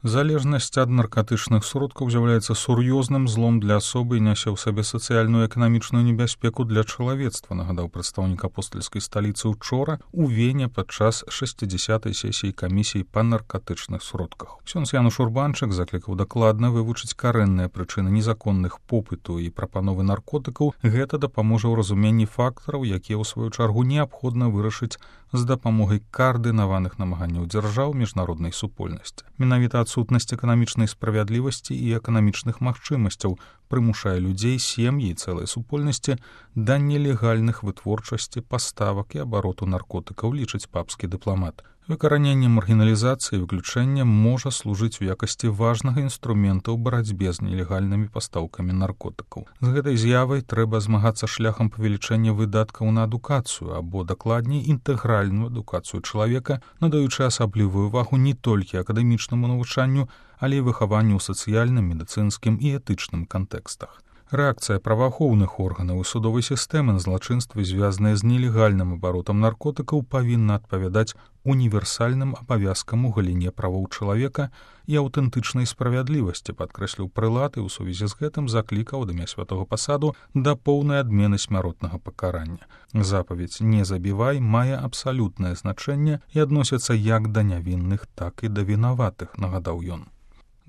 Залежнасць ад наркатычных сродкаў з'яўляецца сур'ёзным злом для асобы і нясе ў сабе сацыяльную і эканамічную небяспеку для чалавецтва, нагадаў прадстаўнік апостальскай сталіцы учора у Вене падчас 60-й сесіі камісіі па наркатычных сродках. Ксёндз Януш Урбанчык заклікаў дакладна вывучыць карэнныя прычыны незаконных попыту і прапановы наркотыкаў. Гэта дапаможа ў разуменні фактараў, якія ў сваю чаргу неабходна вырашыць з дапамогай каардынаваных намаганняў дзяржаў міжнароднай супольнасці. Менавіта адсутнасць эканамічнай справядлівасці і эканамічных магчымасцяў прымушае людзей, сем'і і цэлай супольнасці да нелегальных вытворчасці, паставак і абароту наркотыкаў, лічыць папскі дыпламат. Выкараненне маргіналізацыі і выключэння можа служыць у якасці важнага інструмента ў барацьбе з нелегальнымі пастаўкамі наркотыкаў. З гэтай з'явай трэба змагацца шляхам павелічэння выдаткаў на адукацыю або, дакладней, інтэгральную адукацыю чалавека, надаючы асаблівую увагу не толькі акадэмічнаму навучанню, але і выхаванню ў сацыяльным, медыцынскім і этычным кантэкстах. Рэакцыя праваахоўных органаў і судовай сістэмы на злачынствы, звязаныя з нелегальным абаротам наркотыкаў, павінна адпавядаць універсальным абавязкам у галіне правоў чалавека і аўтэнтычнай справядлівасці, падкрэсліў прылад і ў сувязі з гэтым заклікаў ад імя святога пасаду да поўнай адмены смяротнага пакарання. Запаведь «Не забівай» мае абсалютнае значэнне і адносіцца як да нявінных, так і да вінаватых, нагадаў ён.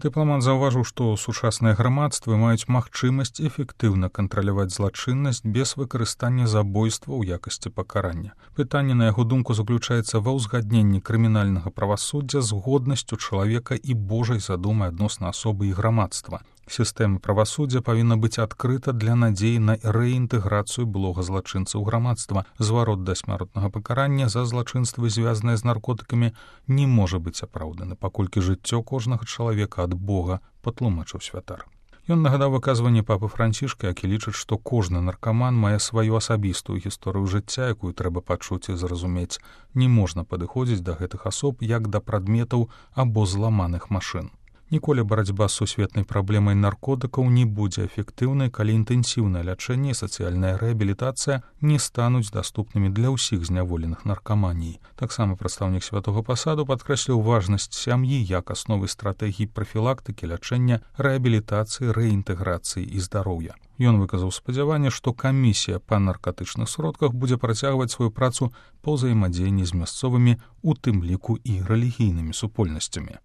Дыпламат заўважыў, што сучасныя грамадствы маюць магчымасць эфектыўна кантраляваць злачыннасць без выкарыстання забойства ў якасці пакарання. Пытанне, на яго думку, заключаецца ва ўзгадненні крымінальнага правасуддзя з годнасцю чалавека і Божай задумай адносна асобы і грамадства. Сістэма правасуддзя павінна быць адкрыта для надзеі на рэінтэграцыю былога злачынца ў грамадства. Зварот да смяротнага пакарання за злачынствы, звязаныя з наркотыкамі, не можа быць апраўданы, паколькі жыццё кожнага чалавека ад Бога, патлумачыў святар. Ён нагадаў выказванне папы Францішка, які лічыць, што кожны наркаман мае сваю асабістую гісторыю жыцця, якую трэба пачуць і зразумець. Не можна падыходзіць да гэтых асоб як да прадметаў або зламаных машын. Ніколі барацьба з сусветнай праблемай наркотыкаў не будзе эфектыўнай, калі інтэнсіўнае лячэнне і сацыяльная рэабілітацыя не стануць даступнымі для ўсіх зняволеных наркаманіі. Таксама прадстаўнік святога пасаду падкрэсліў важнасць сям'і як асновы стратэгіі прафілактыкі, лячэння, рэабілітацыі, рэінтэграцыі і здароўя. Ён выказаў спадзяванне, што камісія па наркатычных сродках будзе працягваць сваю працу па ўзаемадзеянні з мясцовымі, у тым ліку і рэлігійнымі супольнасцямі.